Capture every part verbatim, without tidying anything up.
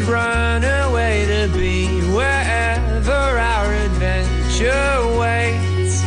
could run away to be wherever our adventure waits,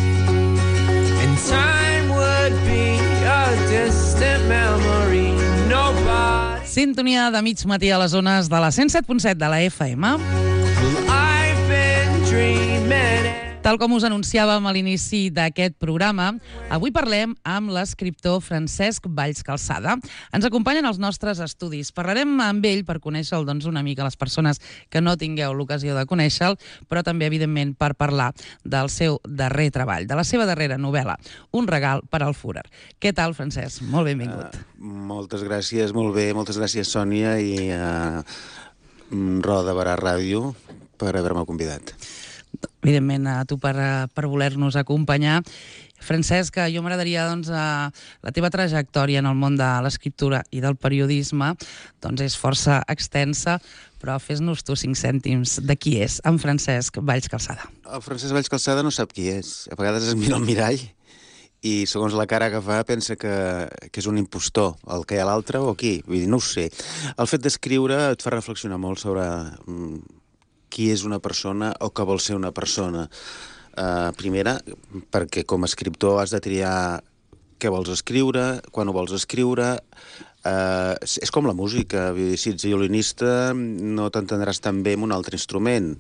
and time would be a distant memory. Nobody. Sintonia de mig matí a les zones de la cent set punt set de la F M. I've been dreaming. Tal com us anunciàvem a l'inici d'aquest programa, avui parlem amb l'escriptor Francesc Valls Calçada. Ens acompanyen els nostres estudis. Parlarem amb ell per conèixer-lo, doncs, una mica les persones que no tingueu l'ocasió de conèixer-lo, però també, evidentment, per parlar del seu darrer treball, de la seva darrera novel·la, Un regal per al Führer. Què tal, Francesc? Molt benvingut. Uh, moltes gràcies, molt bé. Moltes gràcies, Sònia, i uh, Roda Barà Ràdio per haver-me convidat. Evidentment, a tu per, per voler-nos acompanyar. Francesc, jo m'agradaria, doncs, la teva trajectòria en el món de l'escriptura i del periodisme doncs és força extensa, però fes-nos tu cinc cèntims de qui és en Francesc Valls Calçada. El Francesc Valls Calçada no sap qui és. A vegades es mira al mirall i, segons la cara que fa, pensa que, que és un impostor, el que hi ha a l'altre o qui. Vull dir, no ho sé. El fet d'escriure et fa reflexionar molt sobre qui és una persona o què vol ser una persona. Uh, primera, perquè com a escriptor has de triar què vols escriure, quan ho vols escriure. Uh, és com la música. Vull dir, si ets violinista no t'entendràs tan bé amb un altre instrument.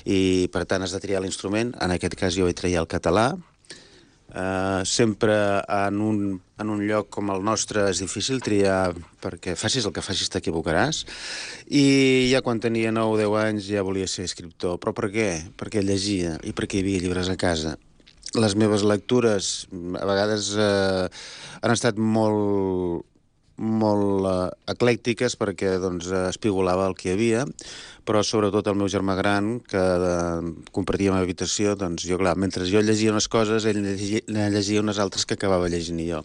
I, per tant, has de triar l'instrument. En aquest cas jo vaig triar el català. Uh, sempre en un, en un lloc com el nostre és difícil triar, perquè facis el que facis t'equivocaràs, i ja quan tenia nou o deu anys ja volia ser escriptor. Però per què? Perquè llegia i perquè hi havia llibres a casa. Les meves lectures a vegades uh, han estat molt molt uh, eclèctiques perquè doncs, espigolava el que hi havia, però sobretot el meu germà gran, que uh, compartia la meva habitació, doncs jo, clar, mentre jo llegia unes coses, ell llegia, llegia unes altres que acabava llegint jo.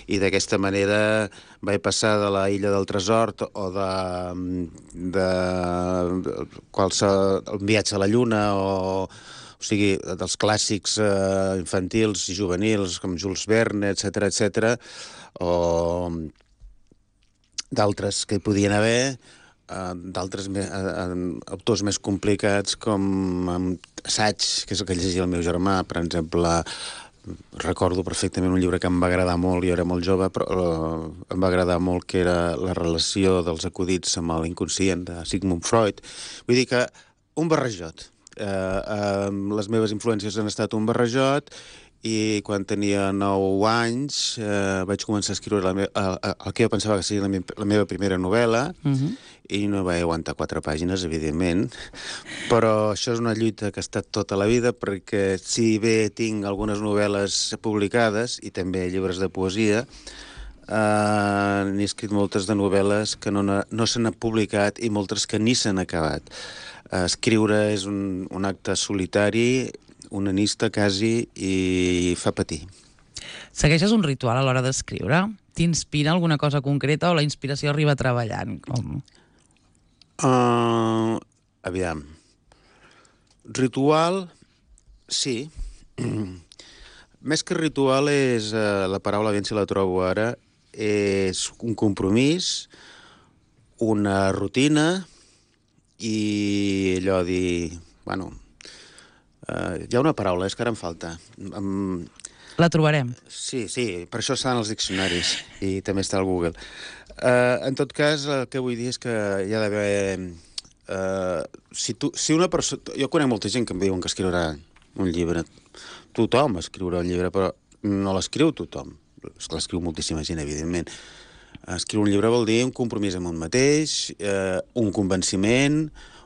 I d'aquesta manera vaig passar de la Illa del Tresor o de, de, de qualsevol el viatge a la Lluna o... O sigui, dels clàssics eh, infantils i juvenils, com Jules Verne, etcètera, etcètera, o d'altres que hi podien haver, eh, d'altres eh, autors més complicats, com assaig, que és el que llegia el meu germà, per exemple. Recordo perfectament un llibre que em va agradar molt, jo era molt jove, però eh, em va agradar molt, que era La relació dels acudits amb l'inconscient, de Sigmund Freud. Vull dir que un barrejot. Uh, uh, les meves influències han estat un barrejot, i quan tenia nou anys uh, vaig començar a escriure la me uh, uh, el que jo pensava que seria la, me la meva primera novel·la, uh-huh. I no vaig aguantar quatre pàgines, evidentment, però això és una lluita que ha estat tota la vida, perquè si bé tinc algunes novel·les publicades i també llibres de poesia, uh, n'he escrit moltes de novel·les que no, no se n'han publicat i moltes que ni s'han acabat. Escriure és un, un acte solitari, onanista quasi, i fa patir. Segueixes un ritual a l'hora d'escriure? T'inspira alguna cosa concreta o la inspiració arriba treballant? Com? Uh, aviam. Ritual, sí. Més que ritual és, uh, la paraula, ben si la trobo ara, és un compromís, una rutina, i allò dir... Bueno, uh, hi ha una paraula, és que ara em falta. Um, La trobarem. Sí, sí, per això estan els diccionaris i també està al Google. Uh, en tot cas, el que vull dir és que hi ha d'haver... Uh, si, tu, si una persona... Jo conec molta gent que em diuen que escriurà un llibre. Tothom escriurà un llibre, però no l'escriu tothom. L'escriu moltíssima gent, evidentment. Escriure un llibre vol dir un compromís amb un mateix, eh, un convenciment,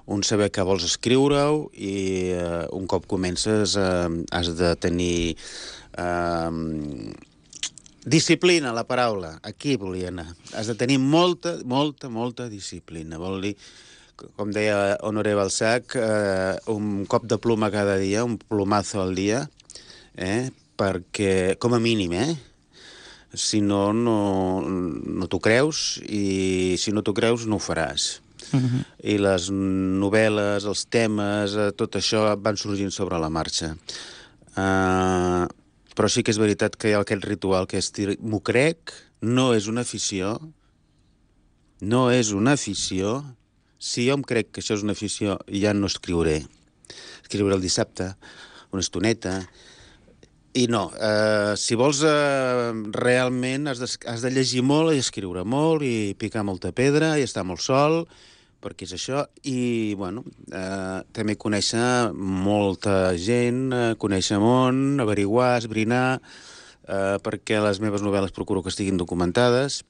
un saber que vols escriure-ho, i eh, un cop comences eh, has de tenir eh, disciplina, la paraula. Aquí volia anar. Has de tenir molta, molta, molta disciplina. Vol dir, com deia Honoré Balzac, eh, un cop de ploma cada dia, un plomazo al dia, eh, perquè, com a mínim, eh? Si no, no, no t'ho creus, i si no t'ho creus, no ho faràs. Uh-huh. I les novel·les, els temes, tot això van sorgint sobre la marxa. Uh, però sí que és veritat que hi ha aquest ritual que és dir, m'ho crec, no és una afició, no és una afició, Si jo em crec que això és una afició, ja no escriuré. Escriuré el dissabte, una estoneta. I no, eh, si vols eh, realment has de, has de llegir molt i escriure molt i picar molta pedra i estar molt sol, perquè és això. I, bueno, eh, també conèixer molta gent, eh, conèixer món, averiguar, esbrinar, eh, perquè les meves novel·les procuro que estiguin documentades.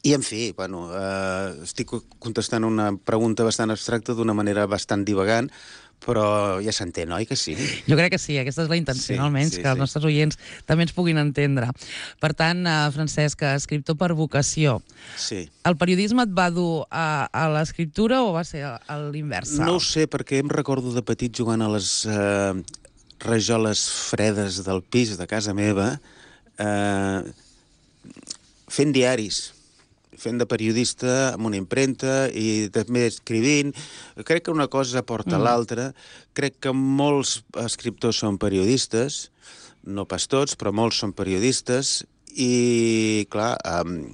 I, en fi, bueno, eh, estic contestant una pregunta bastant abstracta d'una manera bastant divagant, però ja s'entén, oi que sí? Jo crec que sí, aquesta és la intenció, Sí, almenys, sí, que els sí. nostres oients també ens puguin entendre. Per tant, eh, Francesc, escriptor per vocació, Sí. el periodisme et va dur a, a l'escriptura o va ser a, a l'inversa? No ho sé, perquè em recordo de petit jugant a les eh, rajoles fredes del pis de casa meva, eh, fent diaris, fent de periodista amb una impremta i també escrivint. Crec que una cosa porta mm. l'altra. Crec que molts escriptors són periodistes, no pas tots, però molts són periodistes, i, clar, um,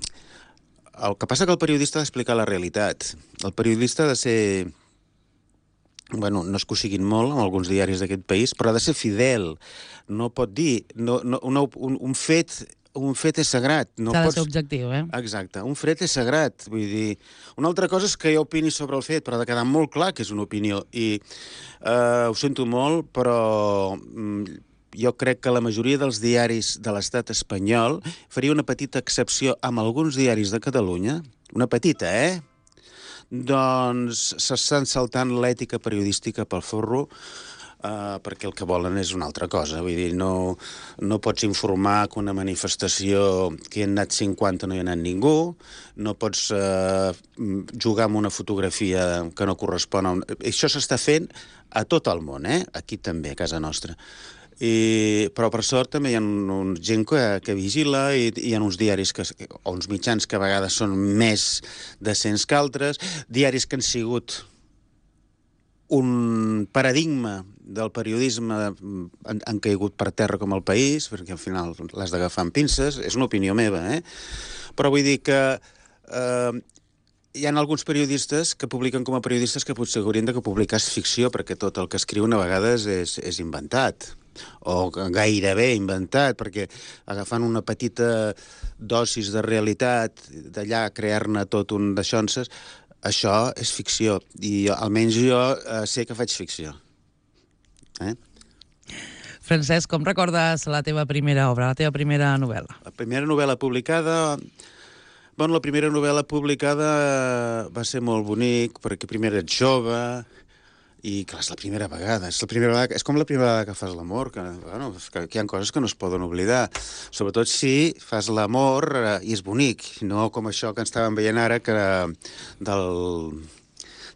el que passa que el periodista ha d'explicar la realitat. El periodista ha de ser... Bueno, no es que ho siguin molt en alguns diaris d'aquest país, però ha de ser fidel. No pot dir... No, no, una, un, un fet... Un fet és sagrat. No S'ha de pots... ser objectiu, eh? Exacte. Un fet és sagrat. Vull dir, una altra cosa és que jo opini sobre el fet, però ha de quedar molt clar que és una opinió. I eh, ho sento molt, però mm, jo crec que la majoria dels diaris de l'estat espanyol faria una petita excepció amb alguns diaris de Catalunya, una petita, eh? Doncs s'estan saltant l'ètica periodística pel forro, Uh, perquè el que volen és una altra cosa. Vull dir, no, no pots informar que una manifestació que hi ha anat cinquanta no hi ha anat ningú, no pots uh, jugar amb una fotografia que no correspon a un... Això s'està fent a tot el món, eh? Aquí també, a casa nostra. I, però per sort també hi ha un, gent que, que vigila i hi ha uns diaris que, o uns mitjans que a vegades són més decents que altres, diaris que han sigut un paradigma del periodisme han, han caigut per terra com el País, perquè al final l'has d'agafar amb pinces, és una opinió meva, eh? Però vull dir que eh, hi ha alguns periodistes que publiquen com a periodistes que potser haurien de publicar ficció, perquè tot el que escriuen a vegades és, és inventat, o gairebé inventat, perquè agafant una petita dosis de realitat, d'allà crear-ne tot un d'aixonses, això és ficció, i jo, almenys jo eh, sé que faig ficció. Eh? Francesc, com recordes la teva primera obra, la teva primera novel·la? La primera novel·la publicada... Bueno, la primera novel·la publicada va ser molt bonic, perquè primer ets jove, i clar, és la primera vegada. És, la primera vegada, és com la primera vegada que fas l'amor, que, bueno, que, que hi ha coses que no es poden oblidar. Sobretot si fas l'amor eh, i és bonic, no com això que estàvem veient ara, que del,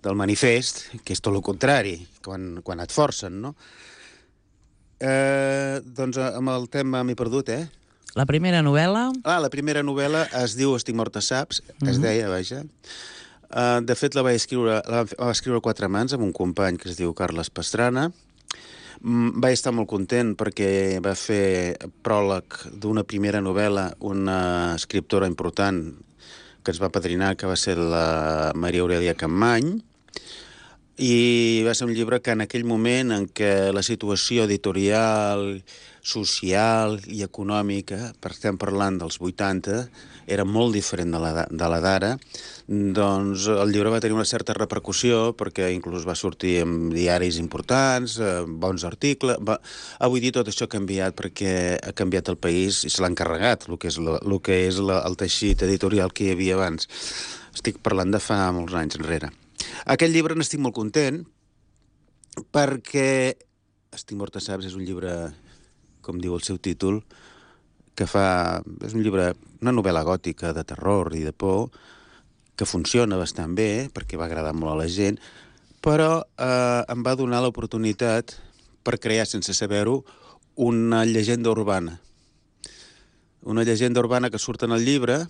del manifest, que és tot el contrari, quan, quan et forcen, no? Eh, doncs amb el tema m'he perdut, eh? La primera novel·la... Ah, la primera novel·la es diu Estic mort a saps, mm-hmm. es deia, vaja. Uh, de fet, la vaig escriure, la va escriure a quatre mans amb un company que es diu Carles Pastrana. Mm, vaig estar molt content perquè va fer pròleg d'una primera novel·la una escriptora important que ens va padrinar, que va ser la Maria Aurelia Campmany, i va ser un llibre que en aquell moment en què la situació editorial, social i econòmica, per estem parlant dels vuitanta, era molt diferent de la, de la d'ara, doncs el llibre va tenir una certa repercussió perquè inclús va sortir en diaris importants, eh, bons articles... Va... Avui dir tot això ha canviat perquè ha canviat el país i se l'ha encarregat, el que és, lo, el, que és la, el teixit editorial que hi havia abans. Estic parlant de fa molts anys enrere. Aquest llibre n'estic molt content perquè Estic mort a saps és un llibre, com diu el seu títol, que fa... és un llibre, una novel·la gòtica de terror i de por, que funciona bastant bé, perquè va agradar molt a la gent, però eh, em va donar l'oportunitat per crear, sense saber-ho, una llegenda urbana. Una llegenda urbana que surt en el llibre,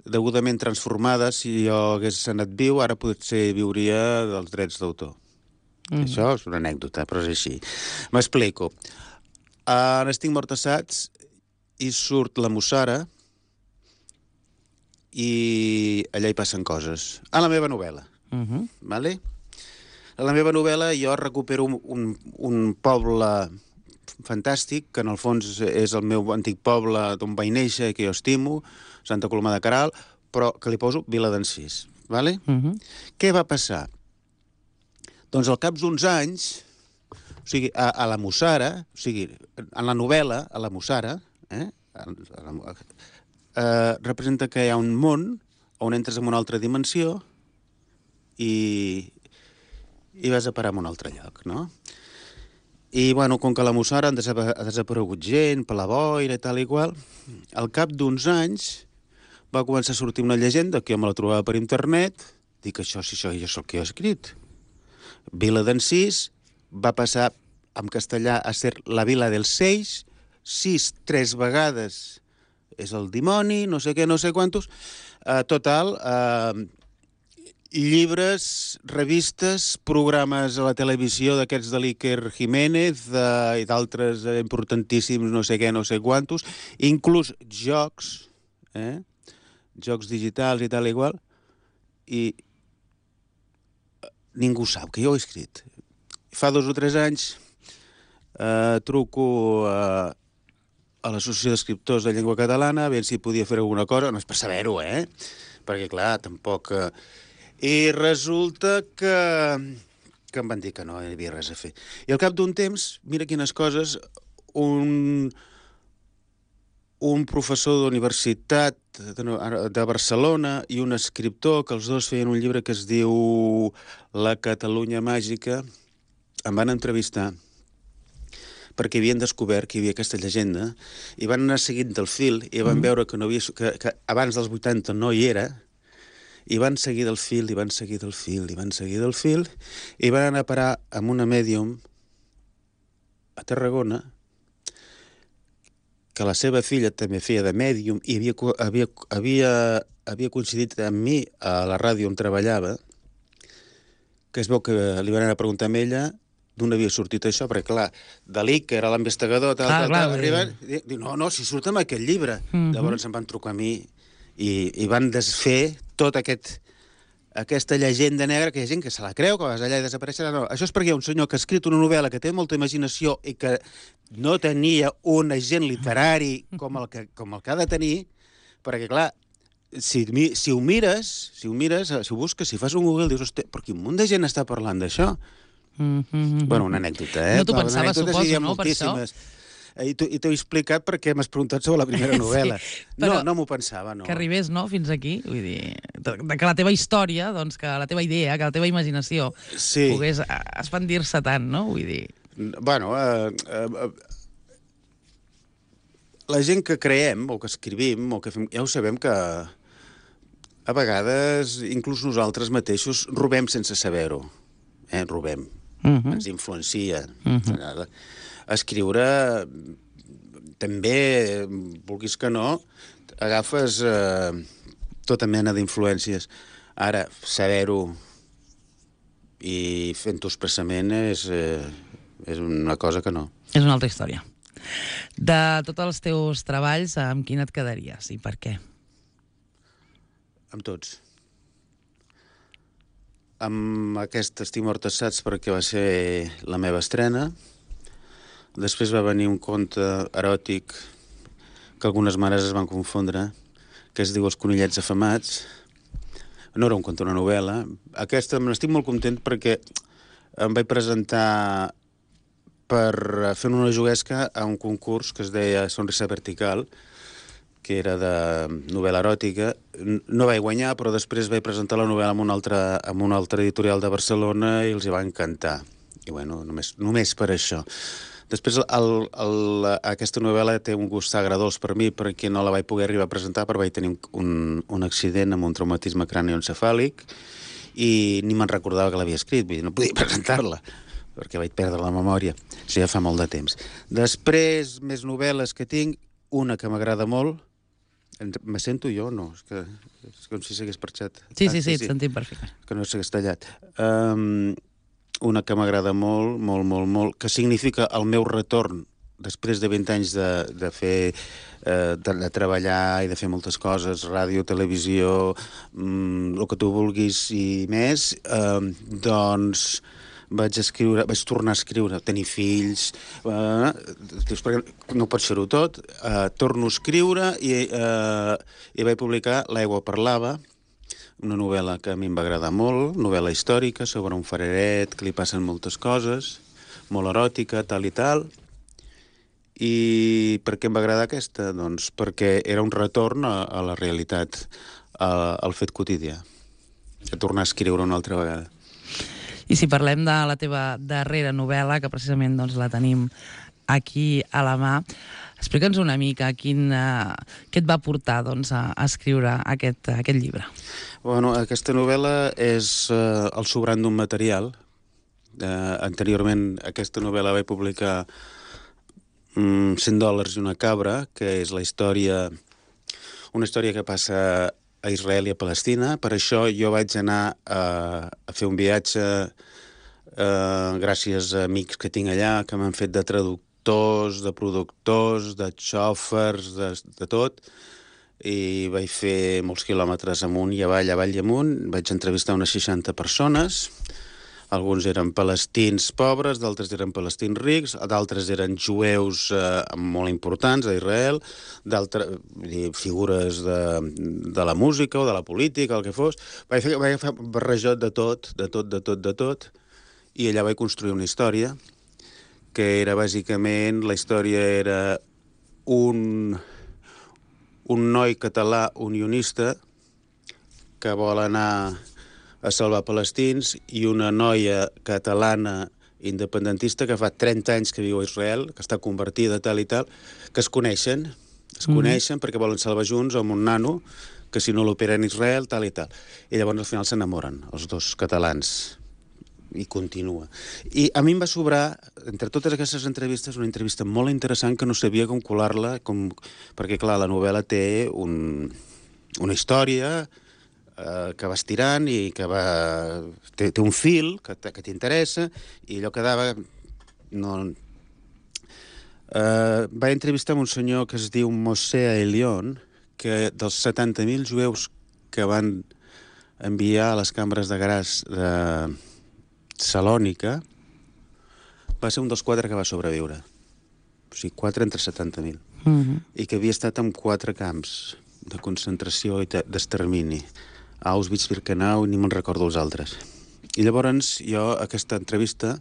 degudament transformada. Si jo hagués anat viu, ara potser viuria dels drets d'autor. Mm. Això és una anècdota, però és així. M'explico. En Estic mort a saps hi surt la Mussara i allà hi passen coses. A la meva novel·la. Uh -huh. Vale? A la meva novel·la jo recupero un, un, un poble fantàstic, que en el fons és el meu antic poble d'on vaig néixer i que jo estimo, Santa Coloma de Queralt, però que li poso Viladencís. Vale? Uh -huh. Què va passar? Doncs al cap d'uns anys, o sigui, a, a la Mussara, o sigui, en la novel·la, a la Mussara, eh, a, a la, eh, representa que hi ha un món on entres en una altra dimensió i, i vas a parar en un altre lloc, no? I, bueno, com que a la Mussara ha desaparegut gent per la boira i tal i qual, al cap d'uns anys va començar a sortir una llegenda que jo me la trobava per internet, dic, això, si això ja és el que he escrit. Viladencís va passar en castellà a ser la vila dels Seix, sis, tres vegades és el dimoni, no sé què, no sé quantos. Uh, total, uh, llibres, revistes, programes a la televisió d'aquests de l'Iker Jiménez uh, i d'altres uh, importantíssims, no sé què, no sé quantos, inclús jocs, eh? jocs digitals i tal i igual, i ningú sap que jo ho he escrit. Fa dos o tres anys eh, truco a, a l'Associació d'Escriptors de Llengua Catalana a veure si podia fer alguna cosa, no és per saber-ho, eh? Perquè, clar, tampoc... Eh... I resulta que, que em van dir que no hi havia res a fer. I al cap d'un temps, mira quines coses, un, un professor d'universitat de, de Barcelona i un escriptor, que els dos feien un llibre que es diu La Catalunya Màgica, em van entrevistar perquè havien descobert que hi havia aquesta llegenda i van anar seguint del fil i van mm. veure que, no havia, que, que abans dels vuitanta no hi era, i van seguir del fil, i van seguir del fil, i van seguir del fil, i van anar a parar amb una mèdium a Tarragona, que la seva filla també feia de mèdium i havia, havia, havia, havia coincidit amb mi a la ràdio on treballava, que es veu que li van anar a preguntar a ella d'on havia sortit això, perquè, clar, Dalí, que era l'investigador, tal, ah, tal, tal, arriben, i diu, no, no, si surt amb aquest llibre. Uh-huh. Llavors em van trucar a mi i, i van desfer tot aquest, aquesta llegenda negra, que hi ha gent que se la creu, que vas allà i desapareixerà. No, això és perquè hi ha un senyor que ha escrit una novel·la que té molta imaginació i que no tenia un agent literari com el que, com el que ha de tenir, perquè, clar, si, si ho mires, si ho mires, si ho busques, si fas un Google, dius, hosti, però quin munt de gent està parlant d'això? Mm-hmm. Bueno, una anècdota, eh? No t'ho pensaves, suposo, no, per això? I t'ho he explicat perquè m'has preguntat sobre la primera novel·la. Sí, no, no m'ho pensava, no. Que arribés, no?, fins aquí. Vull dir, que la teva història, doncs, que la teva idea, que la teva imaginació sí. pogués expandir-se tant, no? Vull dir... Bueno, eh, eh, la gent que creem, o que escrivim, o que fem, ja ho sabem que a vegades, inclús nosaltres mateixos, robem sense saber-ho. Eh, robem. Uh-huh. Ens influencia. Uh-huh. Escriure també, vulguis que no, agafes eh, tota mena d'influències. Ara, saber-ho i fent-ho expressament és, eh, és una cosa que no. És una altra història. De tots els teus treballs, amb quin et quedaries i per què? Amb tots. Amb aquest Estic mort assaig perquè va ser la meva estrena. Després va venir un conte eròtic que algunes mares es van confondre, que es diu Els conillets afamats. No era un conte, una novel·la. Aquesta n'estic molt content perquè em vaig presentar per fer una juguesca a un concurs que es deia Sonrisa Vertical, que era de novel·la eròtica. No vaig guanyar, però després vaig presentar la novel·la amb una altra, amb una altra editorial de Barcelona i els hi va encantar. I bueno, només, només per això. Després, el, el, aquesta novel·la té un gust agradós per mi, perquè no la vaig poder arribar a presentar, perquè vaig tenir un, un accident amb un traumatisme cranioencefàlic i ni me'n recordava que l'havia escrit, vull dir, no podia presentar-la, perquè vaig perdre la memòria. Això ja fa molt de temps. Després, més novel·les que tinc, una que m'agrada molt. Me sento jo? No, és que és com si s'hagués parxat. Sí, sí, sí, et sentim perfecte. Que no s'hagués tallat. Um, una que m'agrada molt, molt, molt, molt, que significa el meu retorn després de vint anys de, de fer, eh, de, de treballar i de fer moltes coses, ràdio, televisió, mm, el que tu vulguis i més, eh, doncs vaig escriure, vaig tornar a escriure, tenir fills, eh, perquè no pots fer-ho tot, eh, torno a escriure i, eh, i vaig publicar L'aigua parlava, una novel·la que a mi em va agradar molt, novel·la històrica sobre un fareret que li passen moltes coses, molt eròtica, tal i tal. I per què em va agradar aquesta? Doncs perquè era un retorn a, a la realitat, a, al fet quotidià, a tornar a escriure una altra vegada. I si parlem de la teva darrera novel·la, que precisament doncs, la tenim aquí a la mà, explica'ns una mica quin, uh, què et va portar doncs, a, a escriure aquest, aquest llibre. Bueno, aquesta novel·la és uh, el sobrant d'un material. Uh, anteriorment aquesta novel·la vaig publicar um, cent dòlars i una cabra, que és la història, una història que passa a Israel i a Palestina. Per això jo vaig anar a, a fer un viatge eh, gràcies a amics que tinc allà, que m'han fet de traductors, de productors, de xòfers, de, de tot, i vaig fer molts quilòmetres amunt i avall, avall i amunt. Vaig entrevistar unes seixanta persones. Alguns eren palestins pobres, d'altres eren palestins rics, d'altres eren jueus eh, molt importants a Israel, d'altres figures de, de la música o de la política, el que fos. Vaig fer, vaig fer un barrejot de tot, de tot, de tot, de tot, i allà vaig construir una història que era bàsicament, la història era un, un noi català unionista que vol anar a salvar palestins i una noia catalana independentista que fa trenta anys que viu a Israel, que està convertida tal i tal, que es coneixen, es mm. coneixen perquè volen salvar junts amb un nano que si no l'opera en Israel, tal i tal. I llavors al final s'enamoren, els dos catalans, i continua. I a mi em va sobrar, entre totes aquestes entrevistes, una entrevista molt interessant que no sabia com colar-la, com... perquè clar, la novel·la té un... una història eh, que va estirant i que va... té, té un fil que, que t'interessa i allò quedava... No... Eh, vaig entrevistar un senyor que es diu Moshe Elion, que dels setanta mil jueus que van enviar a les cambres de gas de Salònica, va ser un dels quatre que va sobreviure. O sigui, quatre entre setanta mil. Uh-huh. I que havia estat en quatre camps de concentració i d'extermini. Auschwitz, Birkenau, ni me'n recordo els altres. I llavors jo, aquesta entrevista,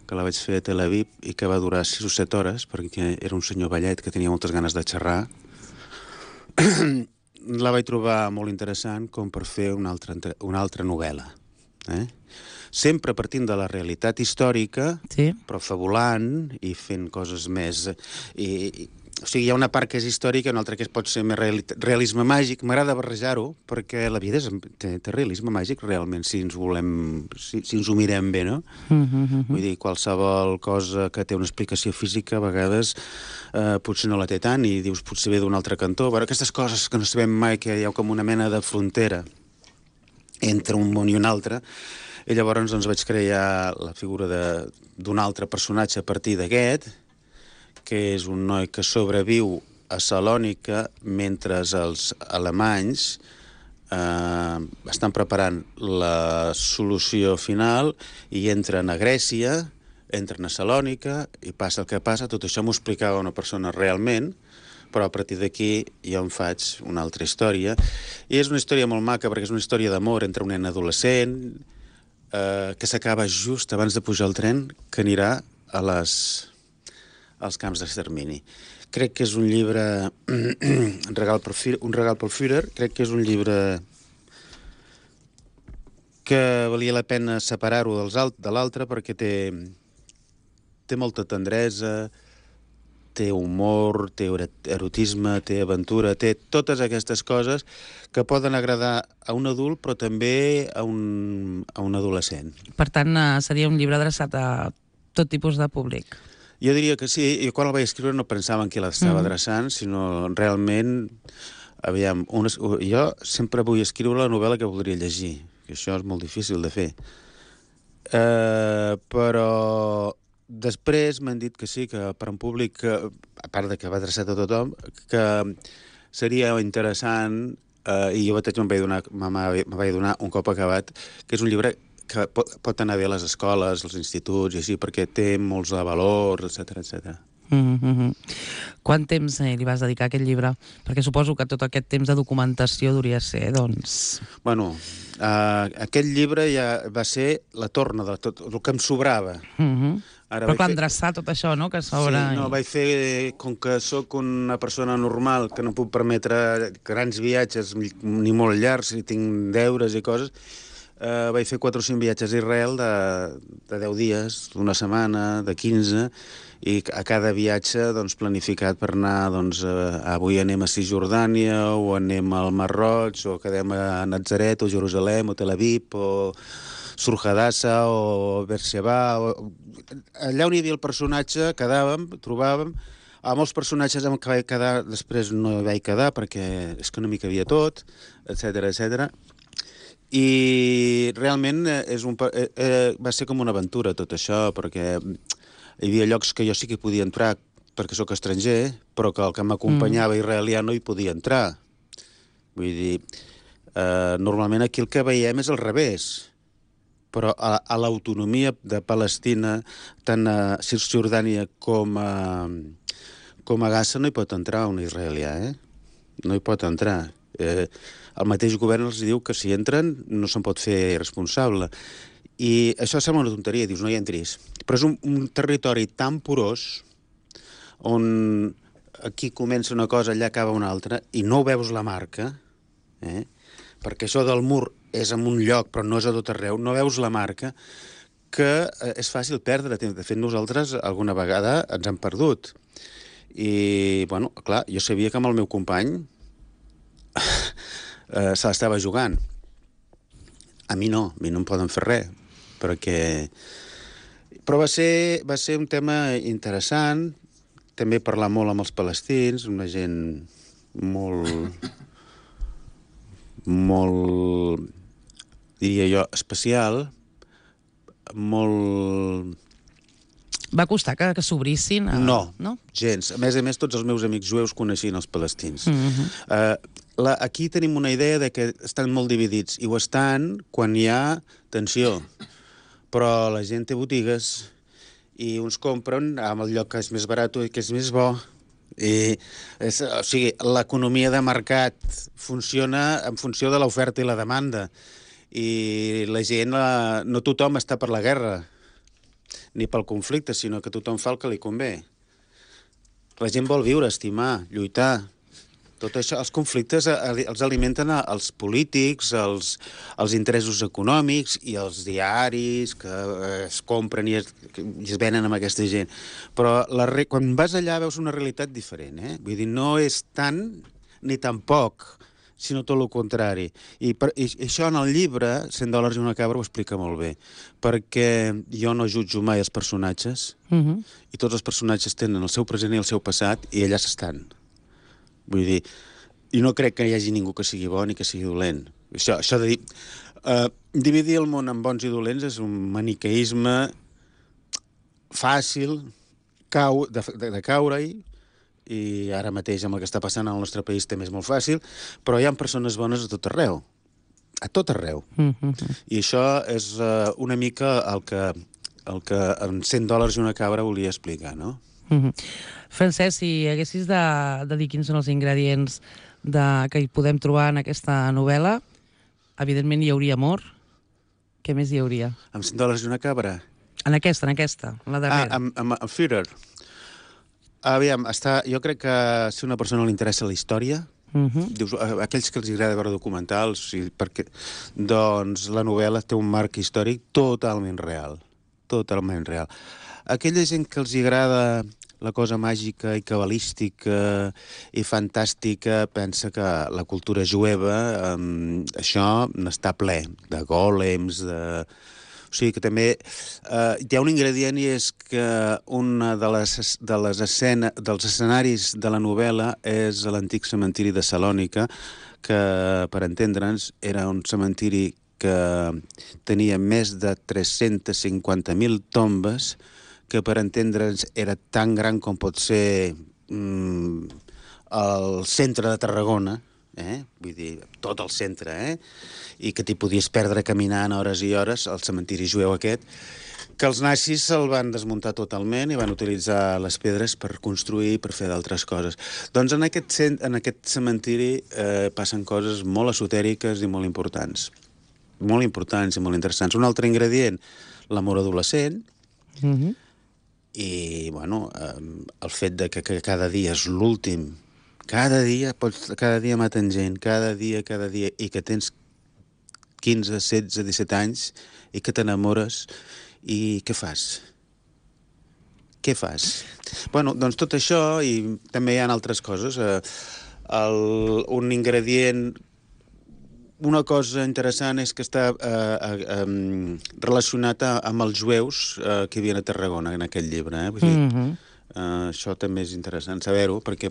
que la vaig fer a Tel Aviv i que va durar sis o set hores, perquè era un senyor vellet que tenia moltes ganes de xerrar, la vaig trobar molt interessant com per fer una altra, una altra novel·la. Eh? Sempre partint de la realitat històrica, sí, però fabulant i fent coses més... I, i, o sigui, hi ha una part que és històrica i una altra que pot ser més realisme màgic. M'agrada barrejar-ho perquè la vida és, té, té realisme màgic realment, si ens volem... si, si ens ho mirem bé, no? Mm-hmm. Vull dir, qualsevol cosa que té una explicació física a vegades eh, potser no la té tant i dius potser ve d'un altre cantó. Però aquestes coses que no sabem mai, que hi ha com una mena de frontera entre un món i un altre. I llavors doncs, vaig crear la figura d'un altre personatge a partir d'aquest, que és un noi que sobreviu a Salònica mentre els alemanys eh, estan preparant la solució final i entren a Grècia, entren a Salònica i passa el que passa. Tot això m'ho explicava una persona realment, però a partir d'aquí jo em faig una altra història. I és una història molt maca perquè és una història d'amor entre un nen adolescent eh, que s'acaba just abans de pujar al tren que anirà a les... als camps d'extermini. Crec que és un llibre un regal pel Führer, un regal pel Führer. Crec que és un llibre que valia la pena separar-ho de l'altre perquè té, té molta tendresa, té humor, té erotisme, té aventura, té totes aquestes coses que poden agradar a un adult però també a un, a un adolescent. Per tant, seria un llibre adreçat a tot tipus de públic. Jo diria que sí. Jo quan el vaig escriure no pensava en qui l'estava mm. adreçant, sinó realment... Aviam, unes, jo sempre vull escriure la novel·la que voldria llegir, que això és molt difícil de fer. Uh, però després m'han dit que sí, que per un públic, que, a part de que va adreçat a tothom, que seria interessant, eh, i jo mateix me'n vaig donar, me vaig donar un cop acabat, que és un llibre que pot, pot anar bé a les escoles, als instituts i així, perquè té molts de valors, etcètera, etcètera. Mm-hmm. Quant temps eh, li vas dedicar a aquest llibre? Perquè suposo que tot aquest temps de documentació duria ser, doncs... Bueno, uh, aquest llibre ja va ser la torna de tot el que em sobrava. Mm-hmm. Ara Però clar, fer... endreçar tot això, no?, que s'obre... Sí, no, i... vaig fer, com que sóc una persona normal, que no puc permetre grans viatges ni molt llargs, i tinc deures i coses, eh, vaig fer quatre o cinc viatges a Israel de, de deu dies, d'una setmana, de quinze, i a cada viatge doncs, planificat per anar, doncs, eh, avui anem a Cisjordània, o anem al Mar Roig, o quedem a Natzaret, o Jerusalem, o Tel Aviv, o Surjadassa, o Beersheba, o... allà on hi havia el personatge, quedàvem, trobàvem, a molts personatges amb què vaig quedar, després no hi vaig quedar, perquè és que no m'hi cabia tot, etcètera, etcètera. I realment és un, eh, eh, va ser com una aventura tot això, perquè hi havia llocs que jo sí que hi podia entrar perquè sóc estranger, però que el que m'acompanyava mm. israelià no hi podia entrar. Vull dir, eh, normalment aquí el que veiem és al revés, però a, a l'autonomia de Palestina, tant a Cisjordània com a, com a Gaza, no hi pot entrar un israelià, eh? No hi pot entrar. Eh, el mateix govern els diu que si entren no se'n pot fer responsable. I això sembla una tonteria, dius, no hi entris. Però és un, un territori tan porós, on aquí comença una cosa, allà acaba una altra, i no veus la marca, eh? Perquè això del mur és en un lloc, però no és a tot arreu, no veus la marca, que eh, és fàcil perdre. De fet, nosaltres alguna vegada ens hem perdut. I, bueno, clar, jo sabia que amb el meu company eh, se l'estava jugant. A mi no, a mi no em poden fer res, perquè... Però va ser, va ser un tema interessant, també parlar molt amb els palestins, una gent molt... molt, diria jo, especial, molt... Va costar que, que s'obrissin? A... No, no, gens. A més a més, tots els meus amics jueus coneixien els palestins. Mm-hmm. uh, la, aquí tenim una idea de que estan molt dividits, i ho estan quan hi ha tensió. Però la gent té botigues, i uns compren amb el lloc que és més barat i que és més bo. I, és, o sigui, l'economia de mercat funciona en funció de l'oferta i la demanda, i la gent, la, no tothom està per la guerra ni pel conflicte, sinó que tothom fa el que li convé. La gent vol viure, estimar, lluitar. Tot això, els conflictes els alimenten els polítics, els, els interessos econòmics i els diaris que es compren i es, i es venen amb aquesta gent. Però la, quan vas allà veus una realitat diferent, eh? Vull dir, no és tant ni tan poc, sinó tot el contrari. I, per, i això en el llibre, cent dòlars i una cabra, ho explica molt bé, perquè jo no jutjo mai els personatges, mm-hmm. i tots els personatges tenen el seu present i el seu passat, i allà s'estan. Vull dir, i no crec que hi hagi ningú que sigui bo ni que sigui dolent. Això, això de dir... Uh, dividir el món en bons i dolents és un maniqueisme fàcil cau, de, de, de caure-hi, i ara mateix amb el que està passant al nostre país també és molt fàcil, però hi ha persones bones a tot arreu. A tot arreu. Mm-hmm. I això és uh, una mica el que, el que en cent dòlars i una cabra volia explicar, no? Mm-hmm. Francesc, si haguessis de, de dir quins són els ingredients de, que hi podem trobar en aquesta novel·la, evidentment hi hauria amor. Què més hi hauria? Amb cent dòlars i una cabra? En aquesta, en aquesta, la darrera. Ah, amb, amb, amb Führer. Aviam, està, jo crec que si a una persona li interessa la història, mm-hmm. dius, aquells que els agrada veure documentals, i perquè, doncs la novel·la té un marc històric totalment real. Totalment real. Aquella gent que els agrada la cosa màgica i cabalística i fantàstica pensa que la cultura jueva, um, això n'està ple, de gòlems, de... O sigui que també uh, hi ha un ingredient, i és que una de les, de les escena, dels escenaris de la novel·la és l'antic cementiri de Salònica, que, per entendre'ns, era un cementiri que tenia més de tres-cents cinquanta mil tombes, que per entendre'ns era tan gran com pot ser mm, el centre de Tarragona, eh? Vull dir, tot el centre, eh? I que t'hi podies perdre caminant hores i hores, el cementiri jueu aquest, que els nazis se'l van desmuntar totalment i van utilitzar les pedres per construir i per fer d'altres coses. Doncs en aquest, cent, en aquest cementiri eh, passen coses molt esotèriques i molt importants. Molt importants i molt interessants. Un altre ingredient, l'amor adolescent, Mm-hmm. i, bueno, eh, el fet de que, que cada dia és l'últim. Cada dia, pots, cada dia maten gent, cada dia, cada dia, i que tens quinze, setze, disset anys i que t'enamores. I què fas? Què fas? Bueno, doncs tot això, i també hi ha altres coses. Eh, el, un ingredient, una cosa interessant és que està eh, eh, relacionat a, amb els jueus eh, que hi havia a Tarragona, en aquest llibre. Eh? Vull dir, Mm-hmm. Uh, això també és interessant saber-ho, perquè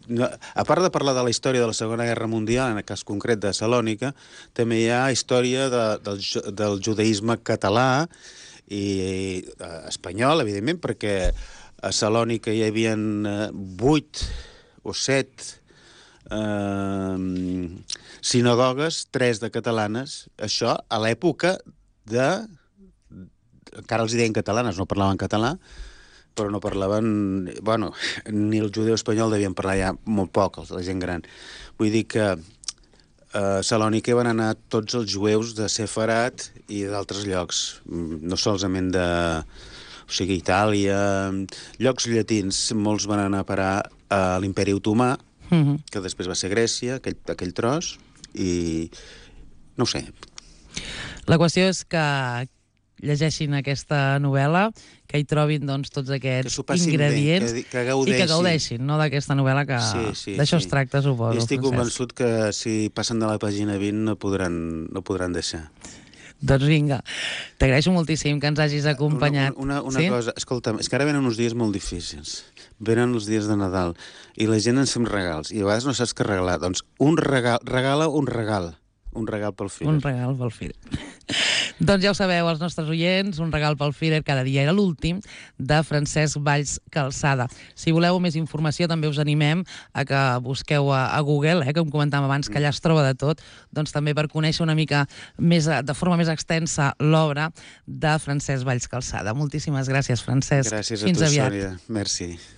no, a part de parlar de la història de la Segona Guerra Mundial, en el cas concret de Salònica, també hi ha història de, del, del judaïsme català i uh, espanyol, evidentment, perquè a Salònica hi havia uh, vuit o set uh, sinagogues, tres de catalanes, això a l'època de... encara els deien catalanes, no parlaven català, però no parlaven... Bueno, ni el judeu espanyol devien parlar ja molt poc, la gent gran. Vull dir que a Salònica van anar tots els jueus de Sefarat i d'altres llocs, no solament de... O sigui, Itàlia... Llocs llatins, molts van anar a parar a l'Imperi Otomà, Mm-hmm. que després va ser Grècia, aquell, aquell tros, i... no ho sé. La qüestió és que llegeixin aquesta novel·la, que hi trobin doncs, tots aquests s'ho passin bé, ingredients que- que i gaudeixin. que gaudeixin, no?, d'aquesta novel·la que Sí, sí, d'això sí. es tracta, suposo. I estic Francesc. convençut que si passen de la pàgina vint no podran, no podran deixar. Doncs vinga, t'agraeixo moltíssim que ens hagis acompanyat. Una, una, una sí? cosa, escolta'm, és que ara venen uns dies molt difícils. Venen els dies de Nadal i la gent ens fem regals i a vegades no saps què regalar. Doncs un regal, regala un regal. Un regal pel fill. Un regal pel Firer. Doncs ja ho sabeu, els nostres oients, un regal pel Firer cada dia era l'últim, de Francesc Valls Calçada. Si voleu més informació, també us animem a que busqueu a, a Google, eh, com comentàvem abans, que allà es troba de tot, doncs també per conèixer una mica més, de forma més extensa l'obra de Francesc Valls Calçada. Moltíssimes gràcies, Francesc. Gràcies a Fins tu, aviat. Sònia. Merci.